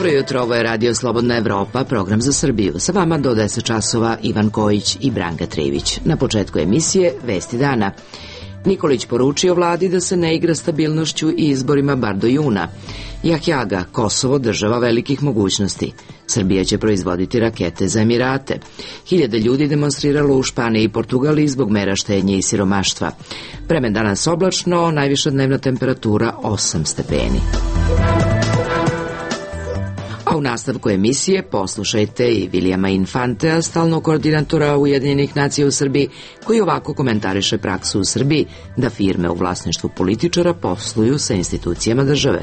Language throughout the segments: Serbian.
Dobro jutro, ovo je Radio Slobodna Evropa, program za Srbiju. Sa vama do 10 časova Ivan Kojić i Branka Trivić. Na početku emisije Vesti dana. Nikolić poručio vladi da se ne igra stabilnošću i izborima bar do juna. Jahjaga, Kosovo država velikih mogućnosti. Srbija će proizvoditi rakete za Emirate. Hiljade ljudi demonstriralo u Španiji i Portugaliji zbog mera štednje i siromaštva. Vremen danas oblačno, najviša dnevna temperatura 8 stepeni. A u nastavku emisije poslušajte i Vilijama Infantea, stalnog koordinatora Ujedinjenih nacija u Srbiji, koji ovako komentariše praksu u Srbiji da firme u vlasništvu političara posluju sa institucijama države.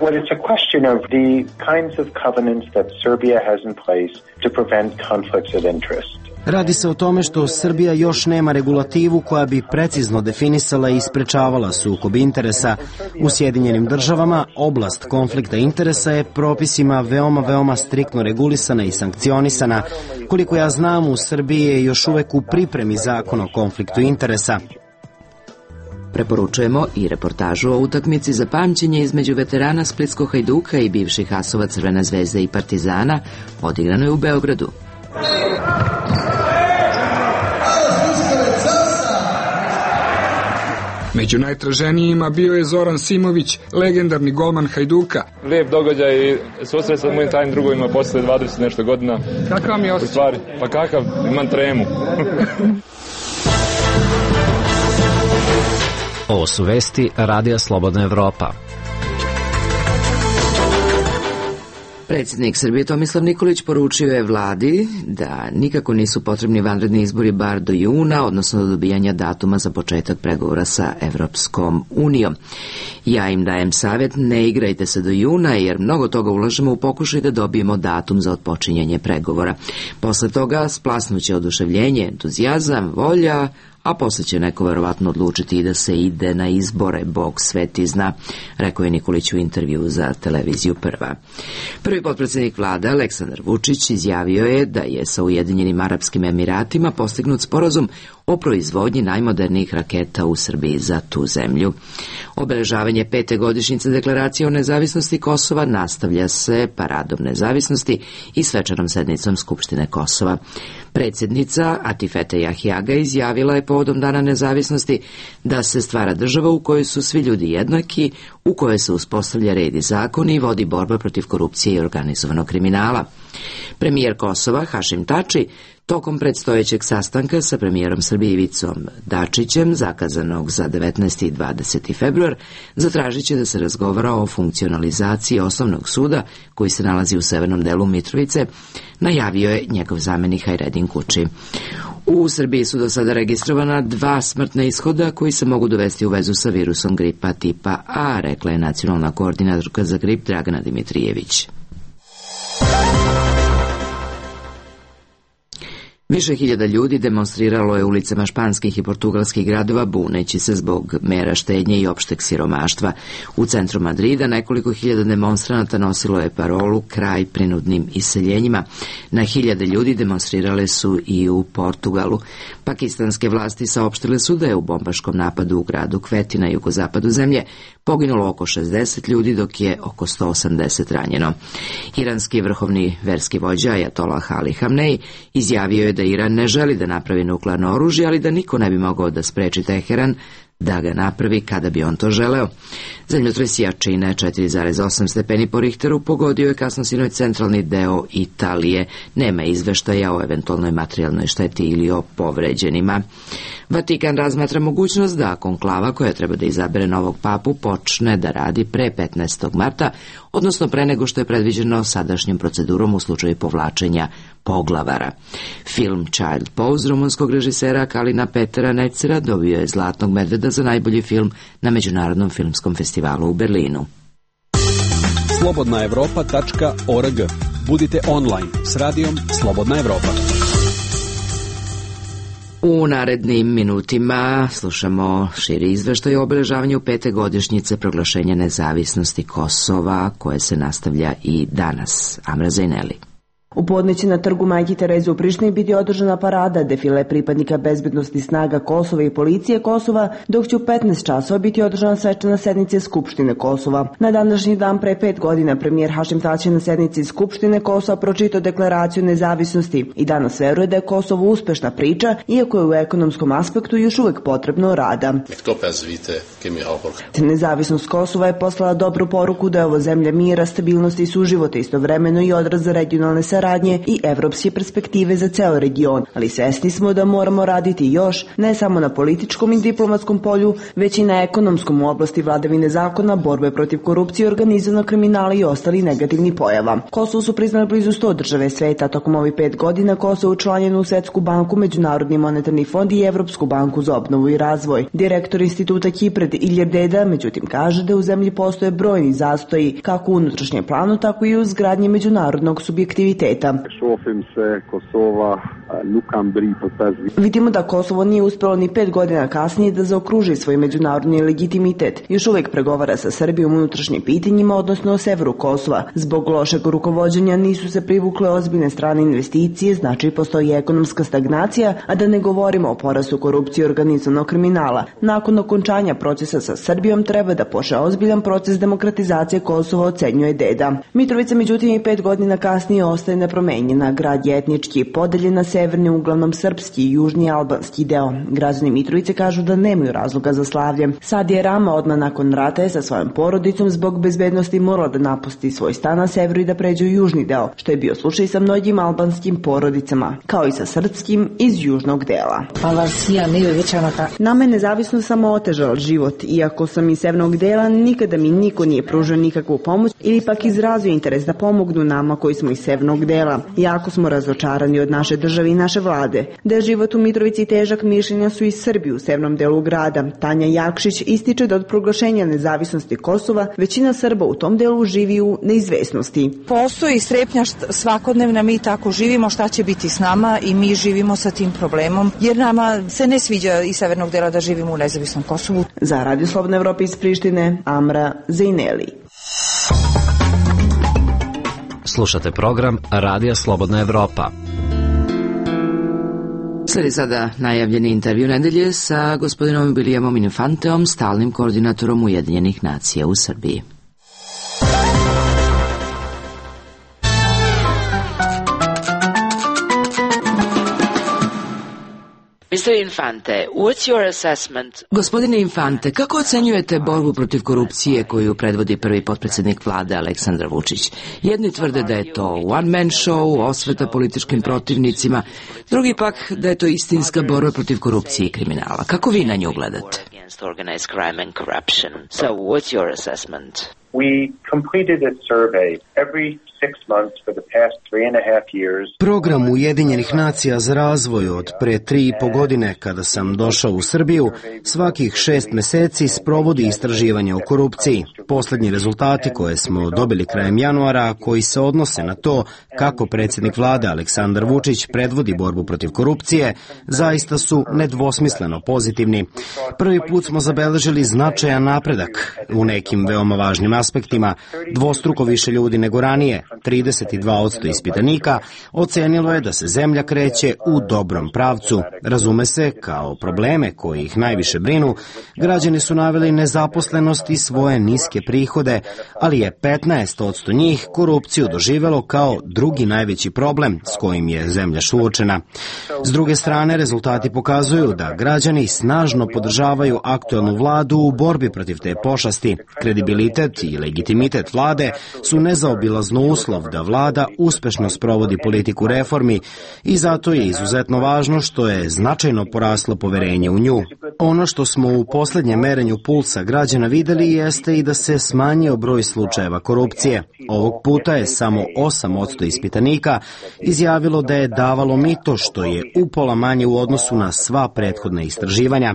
Well, it's a question of the kinds of covenants that Serbia has in place to prevent conflicts of interest. Radi se o tome što Srbija još nema regulativu koja bi precizno definisala i sprečavala sukob interesa. U Sjedinjenim državama oblast konflikta interesa je propisima veoma striktno regulisana i sankcionisana. Koliko ja znam, u Srbiji je još uvek u pripremi zakon o konfliktu interesa. Preporučujemo i reportažu o utakmici za pamćenje između veterana Splitskog Hajduka i bivših asova Crvene zvezde i Partizana, odigrano je u Beogradu. Među najtraženijima bio je Zoran Simović, legendarni golman Hajduka. Lijep događaj, susret sa mojim tajnim drugovima posle 20 nešto godina. Kakav mi je osjećaj? Pa kakav, imam tremu. Ovo su vesti Radija Slobodna Evropa. Predsjednik Srbije Tomislav Nikolić poručio je vladi da nikako nisu potrebni vanredni izbori bar do juna, odnosno do dobijanja datuma za početak pregovora sa Evropskom unijom. Ja im dajem savjet, ne igrajte se do juna jer mnogo toga ulažemo u pokušaj da dobijemo datum za otpočinjanje pregovora. Posle toga splasnuće oduševljenje, entuzijazam, volja, a posle će neko verovatno odlučiti i da se ide na izbore, Bog sveti zna, rekao je Nikolić u intervju za televiziju Prva. Prvi potpredsjednik vlade Aleksandar Vučić izjavio je da je sa Ujedinjenim Arapskim Emiratima postignut sporazum o proizvodnji najmodernijih raketa u Srbiji za tu zemlju. Obeležavanje 5. godišnjice deklaracije o nezavisnosti Kosova nastavlja se paradom nezavisnosti i svečanom sednicom Skupštine Kosova. Predsjednica Atifete Jahjaga izjavila je povodom Dana nezavisnosti da se stvara država u kojoj su svi ljudi jednaki, u kojoj se uspostavlja red i zakon i vodi borba protiv korupcije i organizovanog kriminala. Premijer Kosova Hašim Tači tokom predstojećeg sastanka sa premijerom Srbije Ivicom Dačićem, zakazanog za 19. i 20. februar, zatražit će da se razgovara o funkcionalizaciji osnovnog suda koji se nalazi u severnom delu Mitrovice, najavio je njegov zamenik Hajredin Kuči. U Srbiji su do sada registrovana 2 smrtna ishoda koji se mogu dovesti u vezu sa virusom gripa tipa A, rekla je nacionalna koordinatorka za grip Dragana Dimitrijević. Više hiljada ljudi demonstriralo je ulicama španskih i portugalskih gradova buneći se zbog mera štednje i opšteg siromaštva. U centru Madrida nekoliko hiljada demonstranata nosilo je parolu kraj prinudnim iseljenjima. Na hiljade ljudi demonstrirale su i u Portugalu. Pakistanske vlasti saopštile su da je u bombaškom napadu u gradu Kveti na jugozapadu zemlje poginulo oko 60 ljudi, dok je oko 180 ranjeno. Iranski vrhovni verski vođa Ajatolah Ali Hamnej izjavio je da Iran ne želi da napravi nuklearno oružje, ali da niko ne bi mogao da spreči Teheran da ga napravi kada bi on to želeo. Zemljotres jačine 4,8 stepeni po Richteru pogodio je kasno sinoć centralni deo Italije. Nema izveštaja o eventualnoj materijalnoj šteti ili o povređenima. Vatikan razmatra mogućnost da konklava koja treba da izabere novog papu počne da radi pre 15. marta, odnosno pre nego što je predviđeno sadašnjom procedurom u slučaju povlačenja poglavara. Film Child Pose rumunskog režisera Kalina Petera Necera dobio je Zlatnog medveda za najbolji film na Međunarodnom filmskom festivalu u Berlinu. slobodnaevropa.org. Budite online s radijom Slobodna Evropa. U narednim minutima slušamo širi izveštaj o obeležavanju 5. godišnjice proglašenja nezavisnosti Kosova, koje se nastavlja i danas. Amra Zajneli. U podne će na trgu Majke Tereze u Prištini biti održana parada, defile pripadnika bezbednosti snaga Kosova i policije Kosova, dok će u 15 časova biti održana svečana sednica Skupštine Kosova. Na današnji dan pre 5 godina premijer Hašim Tači na sednici Skupštine Kosova pročitao deklaraciju nezavisnosti i danas veruje da je Kosovo uspešna priča, iako je u ekonomskom aspektu još uvek potrebno rada. Nezavisnost Kosova je poslala dobru poruku da je ovo zemlja mira, stabilnosti i suživota, istovremeno i odraz za regionalne saradnje i evropske perspektive za ceo region, ali svesni smo da moramo raditi još, ne samo na političkom i diplomatskom polju, već i na ekonomskom u oblasti vladavine zakona, borbe protiv korupcije, organizovanog kriminala i ostali negativnih pojava. Kosovo su priznali blizu 100 države sveta. Tokom ovih 5 godina Kosovo učlanjeno u Svetsku banku, Međunarodni monetarni fond i Evropsku banku za obnovu i razvoj. Direktor instituta Kipred Iljer Deda, međutim, kaže da u zemlji postoje brojni zastoji, kako u unutrašnjem planu, tako i u izgradnji međunarodnog subjektiviteta. Vidimo da Kosovo nije uspelo ni 5 godina kasnije da zaokruži svoj međunarodni legitimitet. Još uvek pregovara sa Srbijom u unutrašnjim pitanjima, odnosno o severu Kosova. Zbog lošeg rukovođenja nisu se privukle ozbiljne strane investicije, znači postoji ekonomska stagnacija, a da ne govorimo o porastu korupcije i organizovanog kriminala. Nakon okončanja procesa sa Srbijom treba da počne ozbiljan proces demokratizacije Kosova, ocenjuje Deda. Mitrovica, međutim, i 5 godina kasnije ostaje nepromenjena. Grad je etnički podeljen na severni, uglavnom srpski i južni albanski deo. Građani Mitrovice kažu da nemaju razloga za slavlje. Sadija Rama odmah nakon rata je sa svojom porodicom zbog bezbednosti morala da napusti svoj stan na severu i da pređe u južni deo, što je bio slučaj sa mnogim albanskim porodicama, kao i sa srpskim iz južnog dela. Nama je nezavisno samo otežala život, iako sam iz severnog dela, nikada mi niko nije pružio nikakvu pomoć ili pak izrazio interes da pomognu nama koji smo iz severnog dela. Jako smo razočarani od naše države i naše vlade. Da je život u Mitrovici težak, mišljenja su i Srbi u severnom delu grada. Tanja Jakšić ističe da od proglašenja nezavisnosti Kosova većina Srba u tom delu živi u neizvesnosti. Postoji strepnja svakodnevna, mi tako živimo, šta će biti s nama i mi živimo sa tim problemom, jer nama se ne sviđa iz severnog dela da živimo u nezavisnom Kosovu. Za Radio Slobodna Evropa iz Prištine, Amra Zejneli. Slušate program Radija Slobodna Evropa. Sledi sada najavljeni intervju nedelje sa gospodinom Williamom Infanteom, stalnim koordinatorom Ujedinjenih nacija u Srbiji. Gospodine Infante, kako ocenjujete borbu protiv korupcije koju predvodi prvi potpredsjednik vlade Aleksandar Vučić? Jedni tvrde da je to one-man show, osveta političkim protivnicima, drugi pak da je to istinska borba protiv korupcije i kriminala. Kako vi na nju gledate? We completed a survey every 6 months for the past 3.5 years. Program Ujedinjenih nacija za razvoj od pre 3,5 godine, kada sam došao u Srbiju, svakih 6 meseci sprovodi istraživanje o korupciji. Poslednji rezultati koje smo dobili krajem januara, koji se odnose na to kako predsjednik vlade Aleksandar Vučić predvodi borbu protiv korupcije, zaista su nedvosmisleno pozitivni. Prvi put smo zabeležili značajan napredak u nekim veoma važnim aspektima. Dvostruko više ljudi nego ranije, 32% ispitanika, ocenilo je da se zemlja kreće u dobrom pravcu. Razume se, kao probleme koji ih najviše brinu, građani su naveli nezaposlenost i svoje niske prihode, ali je 15% njih korupciju doživelo kao drugi najveći problem s kojim je zemlja suočena. S druge strane, rezultati pokazuju da građani snažno podržavaju aktuelnu vladu u borbi protiv te pošasti. Kredibilitet i legitimitet vlade su nezaobilazno uslov da vlada uspešno sprovodi politiku reformi i zato je izuzetno važno što je značajno poraslo poverenje u nju. Ono što smo u poslednjem merenju pulsa građana videli jeste i da se smanjio broj slučajeva korupcije. Ovog puta je samo 8% ispitanika izjavilo da je davalo mito, što je upola manje u odnosu na sva prethodna istraživanja.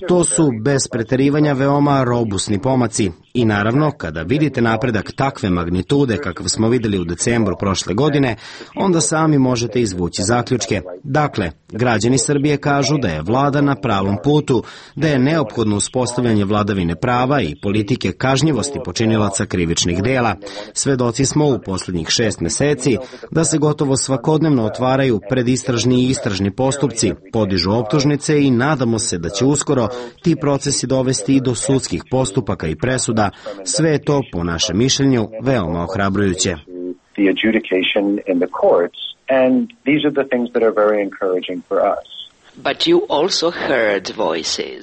To su bez preterivanja veoma robusni pomaci. I naravno, kada vidite napredak takve magnitude kakav smo videli u decembru prošle godine, onda sami možete izvući zaključke. Dakle, građani Srbije kažu da je vlada na pravom putu, da je neophodno uspostavljanje vladavine prava i politike kažnjivosti počinilaca krivičnih dela. Svedoci smo u poslednjih 6 meseci da se gotovo svakodnevno otvaraju predistražni i istražni postupci, podižu optužnice i nadamo se da će uskoro ti procesi dovesti i do sudskih postupaka i presuda. Sve je to, po našem mišljenju, veoma ohrabrujuće.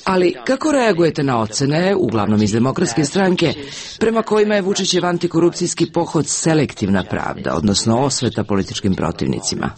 Ali kako reagujete na ocene, uglavnom iz Demokratske stranke, prema kojima je Vučićev antikorupcijski pohod selektivna pravda, odnosno osveta političkim protivnicima?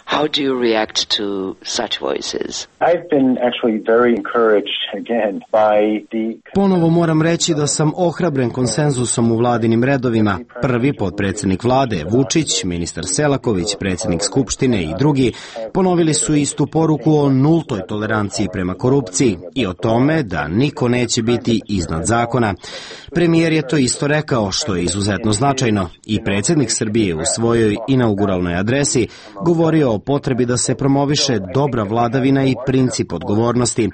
How do you react to such voices? I've been actually very encouraged again by the... Ponovo moram reći da sam ohrabren konsenzusom u vladinim redovima. Prvi potpredsednik vlade, Vučić, ministar Selaković, predsednik Skupštine i drugi ponovili su istu poruku o nultoj toleranciji prema korupciji i o tome da niko neće biti iznad zakona. Premijer je to isto rekao, što je izuzetno značajno, i predsednik Srbije u svojoj inauguralnoj adresi govorio o potrebi da se promoviše dobra vladavina i princip odgovornosti.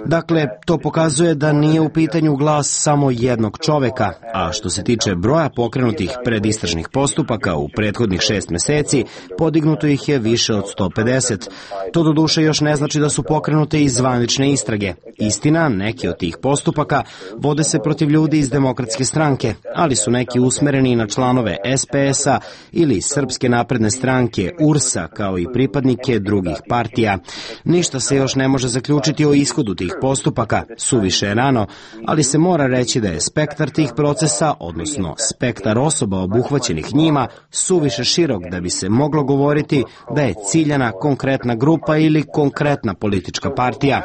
Dakle, to pokazuje da nije u pitanju glas samo jednog čoveka, a što se tiče broja pokrenutih predistražnih postupaka u prethodnih 6 meseci, podignuto ih je više od 150. To doduše još ne znači da su pokrenute i zvanične istrage. Istina, neki od tih postupaka vode se protiv ljudi iz Demokratske stranke, ali su neki usmereni na članove SPS-a ili Srpske napredne stranke, URS-a, kao i pripadnike drugih partija. Ništa se još ne može zaključiti o ishodu tih postupaka, suviše je rano, ali se mora reći da je spektar tih procesa, odnosno spektar osoba obuhvaćenih njima, suviše širok da bi se moglo govoriti da je ciljana konkretna grupa ili konkretna politička partija.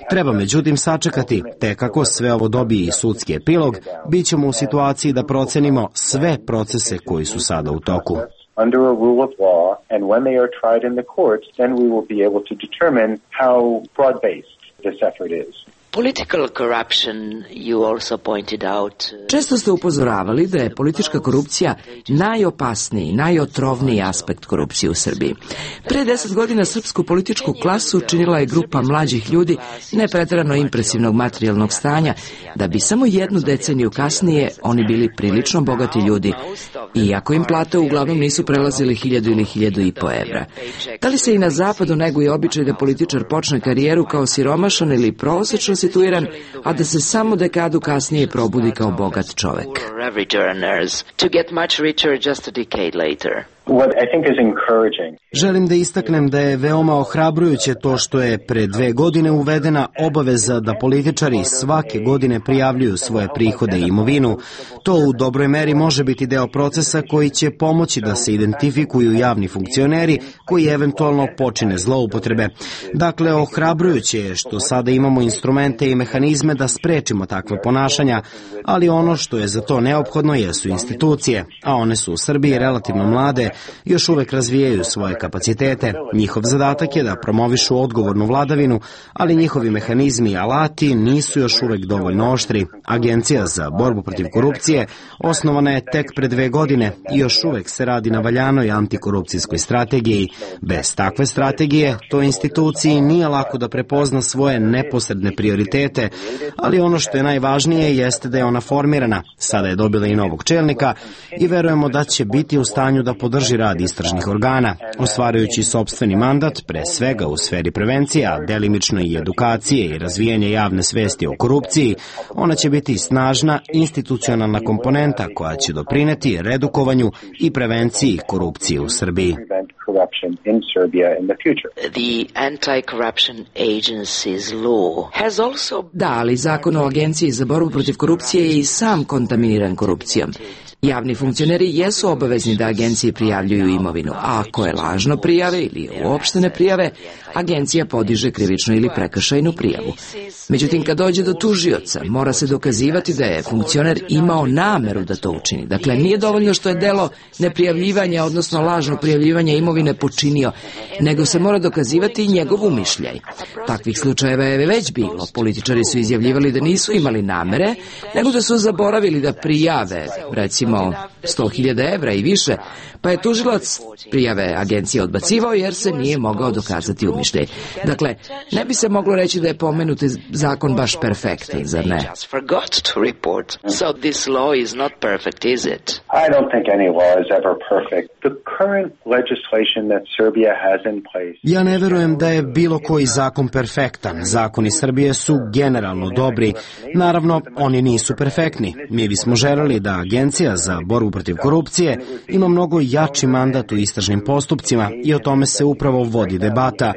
Treba međutim sačekati, te kako sve ovo dobije i sudski epilog, bit ćemo u situaciji da procenimo sve procese koji su sada u toku. Under a rule of law, and when they are tried in the courts, then we will be able to determine how broad-based this effort is. Political corruption, you also pointed out. Često ste upozoravali da je politička korupcija najopasniji, najotrovniji aspekt korupcije u Srbiji. Pre 10 godina srpsku političku klasu činila je grupa mlađih ljudi nepreterano impresivnog materijalnog stanja, da bi samo jednu deceniju kasnije oni bili prilično bogati ljudi, iako im plate uglavnom nisu prelazili 1000 ili 1500 evra. Da li se i na zapadu neguje običaj da političar počne karijeru kao siromašan ili prosečno situiran, a da se samo dekadu kasnije probudi kao bogat čovek? Želim da istaknem da je veoma ohrabrujuće to što je pre 2 godine uvedena obaveza da političari svake godine prijavljuju svoje prihode i imovinu. To u dobroj meri može biti deo procesa koji će pomoći da se identifikuju javni funkcioneri koji eventualno počine zloupotrebe. Dakle, ohrabrujuće je što sada imamo instrumente i mehanizme da sprečimo takva ponašanja, ali ono što je za to neophodno jesu institucije, a one su u Srbiji relativno mlade, još uvek razvijaju svoje kapacitete. Njihov zadatak je da promovišu odgovornu vladavinu, ali njihovi mehanizmi i alati nisu još uvek dovoljno oštri. Agencija za borbu protiv korupcije osnovana je tek pre 2 godine i još uvek se radi na valjanoj antikorupcijskoj strategiji. Bez takve strategije, toj instituciji nije lako da prepozna svoje neposredne prioritete, ali ono što je najvažnije jeste da je ona formirana. Sada je dobila i novog čelnika i verujemo da će biti u stanju da podrži rad istražnih organa, ostvarujući sopstveni mandat, pre svega u sferi prevencije, a delimično i edukacije i razvijanje javne svesti o korupciji. Ona će biti snažna institucionalna komponenta koja će doprineti redukovanju i prevenciji korupcije u Srbiji. Da, ali zakon o Agenciji za borbu protiv korupcije je i sam kontaminiran korupcijom. Javni funkcioneri jesu obavezni da agenciji prijavljuju imovinu, a ako je lažno prijave ili uopšte ne prijave, agencija podiže krivičnu ili prekršajnu prijavu. Međutim, kad dođe do tužioca, mora se dokazivati da je funkcioner imao nameru da to učini. Dakle, nije dovoljno što je delo neprijavljivanja, odnosno lažno prijavljivanja imovine počinio, nego se mora dokazivati i njegov umišljaj. Takvih slučajeva je već bilo. Političari su izjavljivali da nisu imali namere, nego da su zaboravili da prijave, recimo 100.000 evra i više, pa je tužilac prijave agencije odbacivao jer se nije mogao dokazati umišljaj. Dakle, ne bi se moglo reći da je pomenuti zakon baš perfektan, zar ne? I don't think any law is ever perfect. The current legislation that Serbia has in place. Ja ne verujem da je bilo koji zakon perfektan. Zakoni Srbije su generalno dobri. Naravno, oni nisu perfektni. Mi bismo želeli da Agencija za borbu protiv korupcije ima mnogo jači mandat u istražnim postupcima i o tome se upravo vodi debata.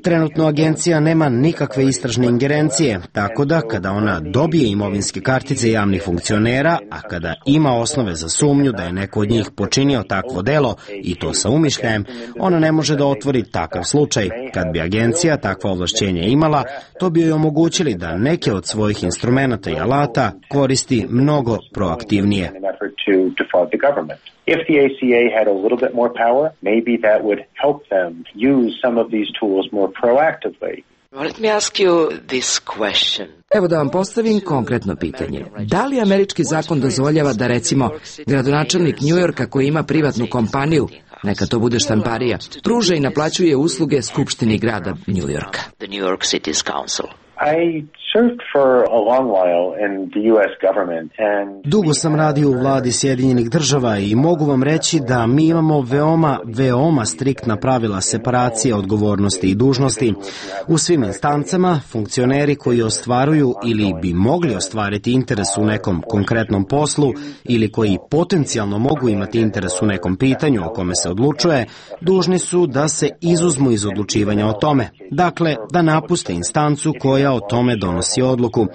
Trenutno agencija nema nikakve istražne ingerencije, tako da kada ona dobije imovinske kartice javnih funkcionera, a kada ima osnove za sumnju da je neko od njih počinio takvo delo i to sa umišljajem, ona ne može da otvori takav slučaj. Kad bi agencija takva ovlašćenja imala, to bi joj omogućili da neke od svojih instrumenata i alata koristi mnogo proaktivnije. If the ACA had a little bit more power, maybe that would help them use some of these tools more proactively. Let me ask you this question. Evo da vam postavim konkretno pitanje. Da li američki zakon dozvoljava da, recimo, gradonačelnik Njujorka koji ima privatnu kompaniju, neka to bude štamparija, pruža i naplaćuje usluge Skupštini grada Njujorka? The New York City's Council. I served for a long while in the US government and Dugo sam radio u vladi Sjedinjenih država i mogu vam reći da mi imamo veoma striktna pravila separacije odgovornosti i dužnosti. U svim instancama funkcioneri koji ostvaruju ili bi mogli ostvariti interes u nekom konkretnom poslu ili koji potencijalno mogu imati interes u nekom pitanju o kome se odlučuje, dužni su da se izuzmu iz odlučivanja o tome. Dakle, da napuste instancu koja o tome donosi odluku.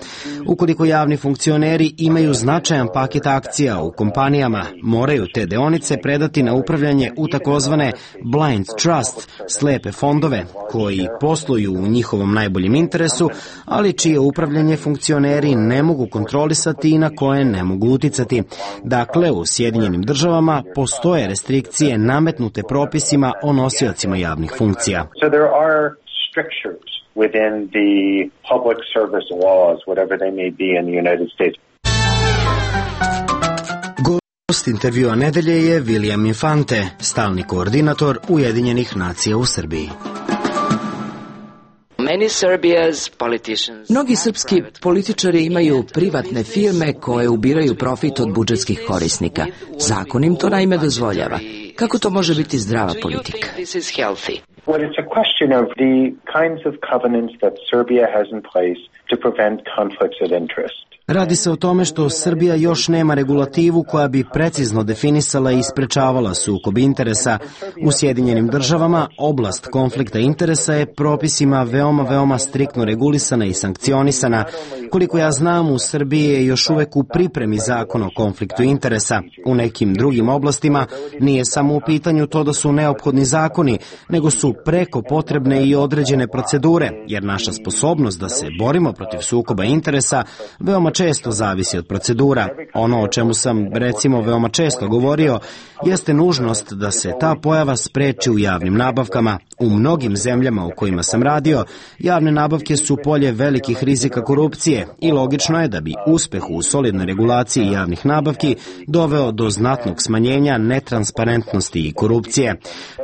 Ukoliko javni funkcioneri imaju značajan paket akcija u kompanijama, moraju te deonice predati na upravljanje u takozvane blind trust, slepe fondove, koji posluju u njihovom najboljem interesu, ali čije upravljanje funkcioneri ne mogu kontrolisati i na koje ne mogu uticati. Dakle, u Sjedinjenim državama postoje restrikcije nametnute propisima o nosiocima javnih funkcija. so there are strictures within the public service laws, whatever they may be in the United States. Gost intervjua nedelje je William Infante, stalni koordinator Ujedinjenih nacija u Srbiji. Mnogi srpski političari imaju privatne firme koje ubiraju profit od budžetskih korisnika. Zakon im to naime dozvoljava. Kako to može biti zdrava politika? Well, it's a question of the kinds of covenants that Serbia has in place to prevent conflicts of interest. Radi se o tome što Srbija još nema regulativu koja bi precizno definisala i sprečavala sukob interesa. U Sjedinjenim državama oblast konflikta interesa je propisima veoma striktno regulisana i sankcionisana. Koliko ja znam, u Srbiji je još uvek u pripremi zakon o konfliktu interesa. U nekim drugim oblastima nije samo u pitanju to da su neophodni zakoni, nego su preko potrebne i određene procedure, jer naša sposobnost da se borimo protiv sukoba interesa veoma često zavisi od procedura. Ono o čemu sam, recimo, veoma često govorio, jeste nužnost da se ta pojava spreči u javnim nabavkama. U mnogim zemljama u kojima sam radio, javne nabavke su polje velikih rizika korupcije i logično je da bi uspeh u solidnoj regulaciji javnih nabavki doveo do znatnog smanjenja netransparentnosti i korupcije.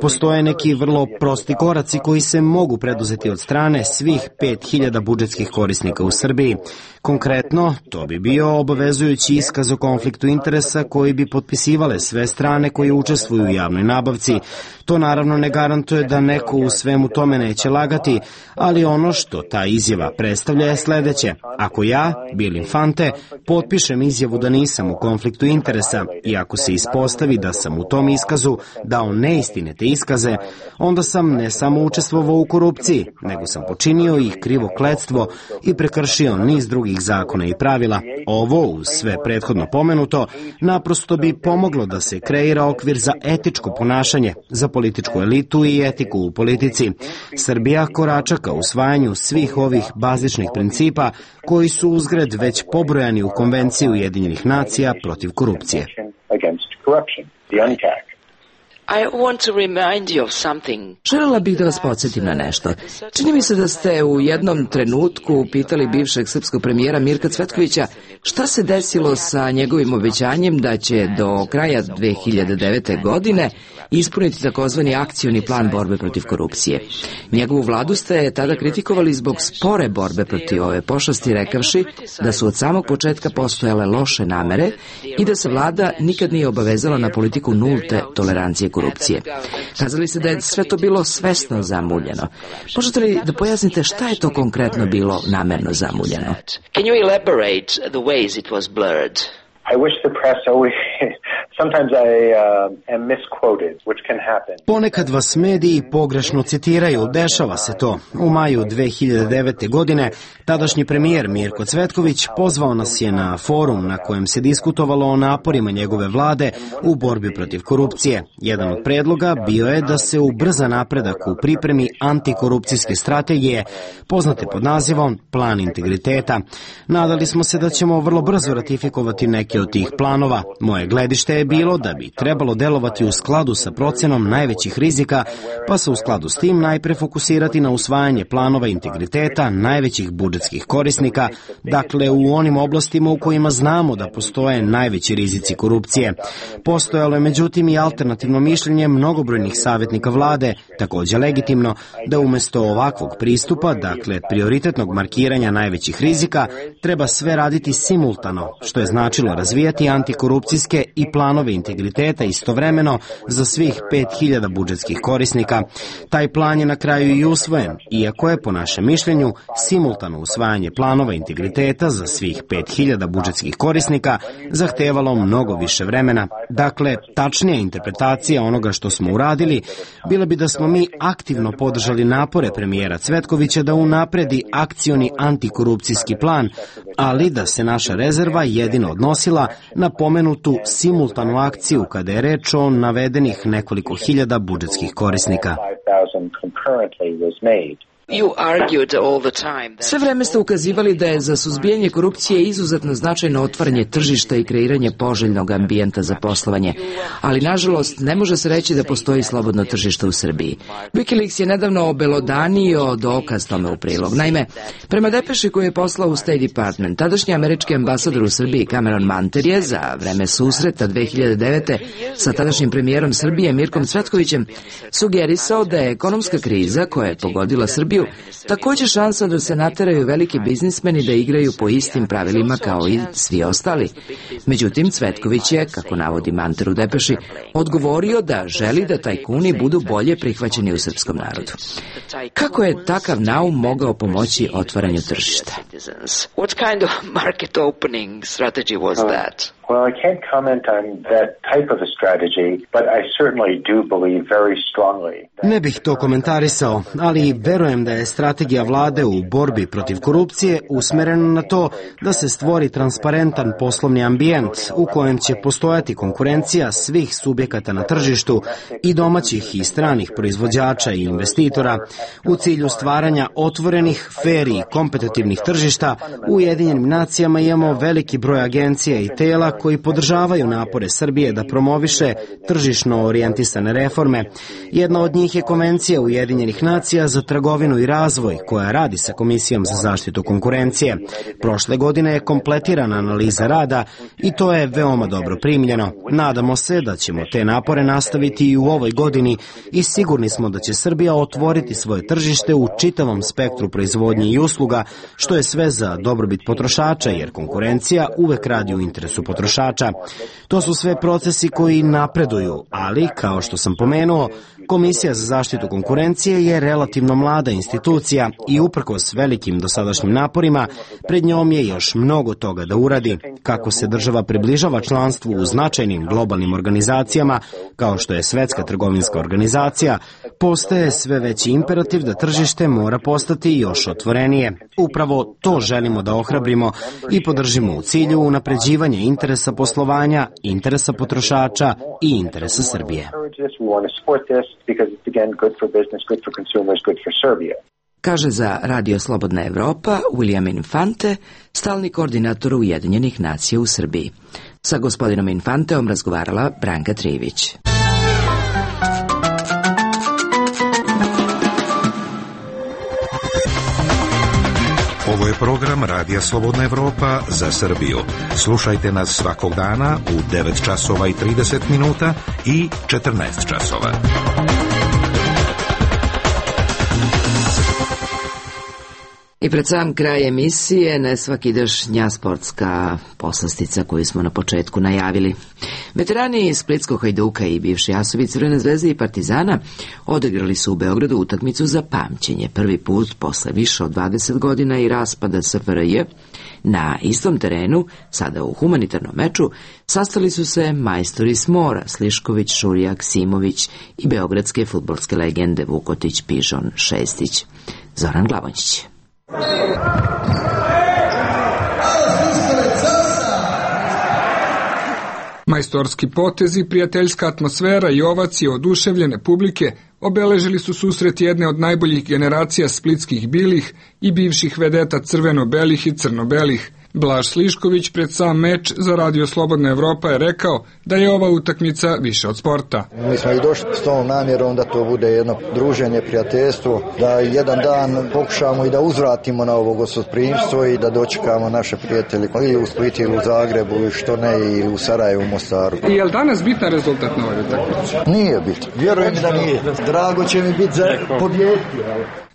Postoje neki vrlo prosti koraci koji se mogu preduzeti od strane svih 5000 budžetskih korisnika u Srbiji. Konkretno, to bi bio obavezujući iskaz o konfliktu interesa koji bi potpisivale sve strane koje učestvuju u javnoj nabavci. To naravno ne garantuje da neko u svemu tome neće lagati, ali ono što ta izjava predstavlja je sledeće. Ako ja, Bill Infante, potpišem izjavu da nisam u konfliktu interesa i ako se ispostavi da sam u tom iskazu dao neistinite iskaze, onda sam ne samo učestvovao u korupciji, nego sam počinio i krivo kletstvo i prekršio niz drugih zakona i pravila. Ovo, uz sve prethodno pomenuto, naprosto bi pomoglo da se kreira okvir za etičko ponašanje, za političku elitu i etiku u politici. Srbija korača ka usvajanju svih ovih bazičnih principa koji su uzgred već pobrojani u Konvenciji Ujedinjenih nacija protiv korupcije. Želela bih da vas podsjetim na nešto. Čini mi se da ste u jednom trenutku pitali bivšeg srpskog premijera Mirka Cvetkovića šta se desilo sa njegovim obećanjem da će do kraja 2009. godine ispuniti takozvani akcioni plan borbe protiv korupcije. Njegovu vladu ste tada kritikovali zbog spore borbe protiv ove pošasti, rekavši da su od samog početka postojale loše namere i da se vlada nikad nije obavezala na politiku nulte tolerancije korupcije. Kazali ste da je sve to bilo svesno zamuljeno. Možete li da pojasnite šta je to konkretno bilo namerno zamuljeno? Can you elaborate the ways it was blurred? I wish the press always... Sometimes I am misquoted, which can happen. Ponekad vas mediji pogrešno citiraju, dešava se to. U maju 2009. godine tadašnji premijer Mirko Cvetković pozvao nas je na forum na kojem se diskutovalo o naporima njegove vlade u borbi protiv korupcije. Jedan od predloga bio je da se ubrza napredak u pripremi antikorupcijske strategije, poznate pod nazivom Plan integriteta. Nadali smo se da ćemo vrlo brzo ratifikovati neke od tih planova. Moje gledište je bilo da bi trebalo delovati u skladu sa procenom najvećih rizika, pa se u skladu s tim najpre fokusirati na usvajanje planova integriteta najvećih budžetskih korisnika, dakle u onim oblastima u kojima znamo da postoje najveći rizici korupcije. Postojalo je međutim i alternativno mišljenje mnogobrojnih savjetnika vlade, također legitimno, da umjesto ovakvog pristupa, dakle prioritetnog markiranja najvećih rizika, treba sve raditi simultano, što je značilo razvijati antikorupcijske i planove integriteta istovremeno za svih 5000 budžetskih korisnika. Taj plan je na kraju i usvojen, iako je po našem mišljenju simultano usvajanje planova integriteta za svih 5000 budžetskih korisnika zahtevalo mnogo više vremena. Dakle, tačnija interpretacija onoga što smo uradili bila bi da smo mi aktivno podržali napore premijera Cvetkovića da unapredi akcioni antikorupcijski plan, ali da se naša rezerva jedino odnosila na pomenutu simultanu akciju kada je reč o navedenih nekoliko hiljada budžetskih korisnika. Sve vreme ste ukazivali da je za suzbijanje korupcije izuzetno značajno otvaranje tržišta i kreiranje poželjnog ambijenta za poslovanje, ali nažalost ne može se reći da postoji slobodno tržište u Srbiji. Wikileaks je nedavno obelodanio dokaz tome u prilog. Naime, prema depeši koju je poslao u State Department, tadašnji američki ambasador u Srbiji Cameron Manter je za vreme susreta 2009. sa tadašnjim premijerom Srbije Mirkom Cvetkovićem sugerisao da je ekonomska kriza koja je pogodila Srbiju također šansa da se nateraju veliki biznismeni da igraju po istim pravilima kao i svi ostali. Međutim, Cvetković je, kako navodi Manter u depeši, odgovorio da želi da tajkuni budu bolje prihvaćeni u srpskom narodu. Kako je takav naum mogao pomoći otvaranju tržišta? What kind of market opening strategy was that? Well, I can't comment on that type of a strategy, but I certainly do believe very strongly. Ne bih to komentarisao, ali verujem da je strategija vlade u borbi protiv korupcije usmerena na to da se stvori transparentan poslovni ambijent u kojem će postojati konkurencija svih subjekata na tržištu i domaćih i stranih proizvođača i investitora u cilju stvaranja otvorenih, fer i kompetitivnih tržišta. U Ujedinjenim nacijama imamo veliki broj agencija i tela koji podržavaju napore Srbije da promoviše tržišno orijentisane reforme. Jedna od njih je Konvencija Ujedinjenih nacija za trgovinu i razvoj, koja radi sa Komisijom za zaštitu konkurencije. Prošle godine je kompletirana analiza rada i to je veoma dobro primljeno. Nadamo se da ćemo te napore nastaviti i u ovoj godini i sigurni smo da će Srbija otvoriti svoje tržište u čitavom spektru proizvodnje i usluga, što je sve za dobrobit potrošača, jer konkurencija uvek radi u interesu potrošača. To su sve procesi koji napreduju, ali, kao što sam pomenuo, Komisija za zaštitu konkurencije je relativno mlada institucija i uprkos velikim dosadašnjim naporima, pred njom je još mnogo toga da uradi. Kako se država približava članstvu u značajnim globalnim organizacijama, kao što je Svetska trgovinska organizacija, postaje sve veći imperativ da tržište mora postati još otvorenije. Upravo to želimo da ohrabrimo i podržimo u cilju unapređivanja interesa poslovanja, interesa potrošača i interesa Srbije. Kaže za Radio Slobodna Evropa William Infante, stalni koordinator Ujedinjenih nacija u Srbiji. Sa gospodinom Infanteom razgovarala Branka Trivić. Ovo je program Radija Slobodna Evropa za Srbiju. Slušajte nas svakog dana u 9 časova i 30 minuta i 14 časova. I pred sam kraj emisije nesvakidašnja sportska poslastica koju smo na početku najavili. Veterani Splitskog Hajduka i bivši asovi Crvene zvezde i Partizana odigrali su u Beogradu utakmicu za pamćenje. Prvi put posle više od 20 godina i raspada SFRJ na istom terenu, sada u humanitarnom meču, sastali su se majstori s mora, Slišković, Šurijak, Simović i beogradske fudbalske legende Vukotić, Pižon, Šestić. Zoran Glavonjić. Majstorski potezi, prijateljska atmosfera i ovacije oduševljene publike obeležili su susret jedne od najboljih generacija splitskih bilih i bivših vedeta crveno-belih i crno-belih. Blaž Slišković pred sam meč za Radio Slobodna Evropa je rekao da je ova utakmica više od sporta. Mi smo i došli s tom namjerom da to bude jedno druženje, prijateljstvo, da jedan dan pokušamo i da uzvratimo na ovo gostoprimstvo i da dočekamo naše prijatelje ili u Splitu ili u Zagrebu, što ne i u Sarajevu, u Mostaru. I je li danas bitan rezultat na ovoj utakmici? Nije bitan. Vjerujem da nije. Drago će mi biti za pobjediti.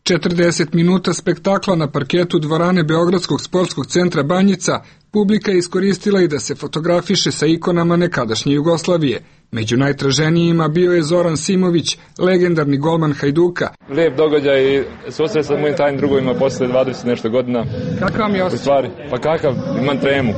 40 minuta spektakla na parketu dvorane Beogradskog sportskog centra Banjica, publika je iskoristila i da se fotografiše sa ikonama nekadašnje Jugoslavije. Među najtraženijima bio je Zoran Simović, legendarni golman Hajduka. Lijep događaj i susret sa mojim tajnim drugovima posle 20 nešto godina. Kakav mi je osjećaj? Pa kakav, imam tremu.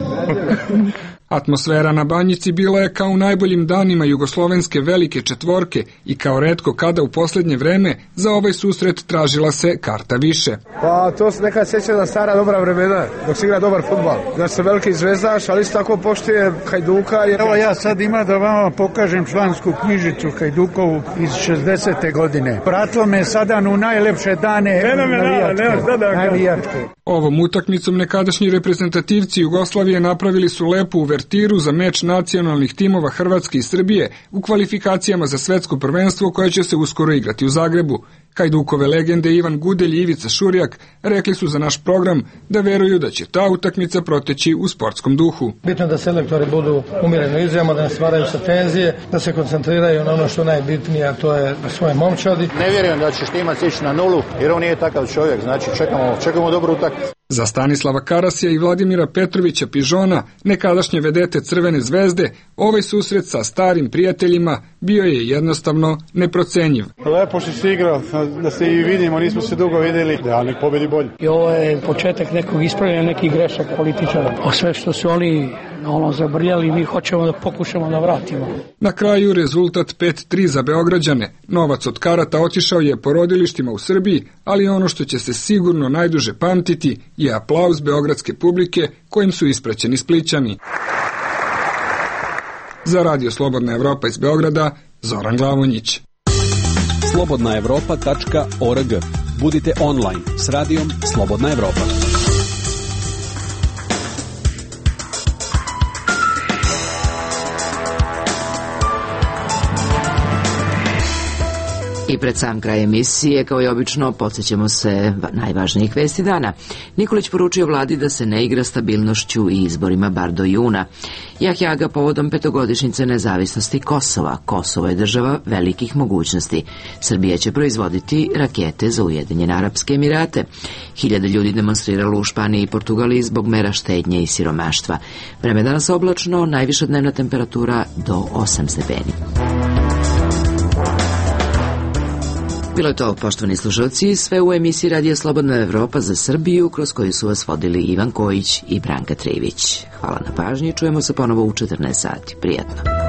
Atmosfera na Banjici bila je kao u najboljim danima jugoslovenske velike četvorke i kao retko kada u posljednje vreme za ovaj susret tražila se karta više. Pa to se nekad sjeća na stara dobra vremena, dok se igra dobar fudbal. Da se veliki zvezdaš, ali isto tako poštuje Hajduka. Evo ja sad ima da vama pokažem člansku knjižicu Hajdukovu iz 60. godine. Pratilo me sada u najlepše dane navijačke. Ovom utakmicom nekadašnji reprezentativci Jugoslavije napravili su lepu uvertiru za meč nacionalnih timova Hrvatske i Srbije u kvalifikacijama za svetsko prvenstvo koje će se uskoro igrati u Zagrebu. Hajdukove legende Ivan Gudelj i Ivica Šurijak rekli su za naš program da veruju da će ta utakmica proteći u sportskom duhu. Bitno da selektori budu umjereno izjamo, da ne stvaraju sa tenzije, da se koncentriraju na ono što najbitnije, a to je svoje momčadi. Ne vjerujem da će Štimac ići na nulu, jer on nije takav čovjek, znači čekamo dobru utakmicu. Za Stanislava Karasija i Vladimira Petrovića Pižona, nekadašnje vedete Crvene zvezde, ovaj susret sa starim prijateljima bio je jednostavno neprocenjiv. Lepo što si igrao, da se i vidimo, nismo se dugo vidjeli, da nek pobedi bolje. I ovo je početak nekog ispravljanja nekih grešaka političara. O sve što su oni zabrljali, mi hoćemo da pokušamo da vratimo. Na kraju rezultat 5-3 za Beograđane. Novac od karata otišao je porodilištima u Srbiji, ali ono što će se sigurno najduže pamtiti je aplauz beogradske publike kojim su ispraćeni Splićani. Za Radio Slobodna Evropa iz Beograda, Zoran Glavonjić. slobodnaevropa.org. Budite online s radijom Slobodna Evropa. I pred sam kraj emisije, kao i obično, podsjećamo se najvažnijih vesti dana. Nikolić poručio vladi da se ne igra stabilnošću i izborima bar do juna. Jahjaga povodom 5-godišnjice nezavisnosti Kosova. Kosovo je država velikih mogućnosti. Srbija će proizvoditi rakete za Ujedinjene Arapske Emirate. 1000 ljudi demonstriralo u Španiji i Portugaliji zbog mera štednje i siromaštva. Vreme danas oblačno, najviša dnevna temperatura do 8 stepeni. Bilo je to, poštovani slušalci, sve u emisiji Radija Slobodna Evropa za Srbiju, kroz koju su vas vodili Ivan Kojić i Branka Trivić. Hvala na pažnji, čujemo se ponovo u 14 sati. Prijatno.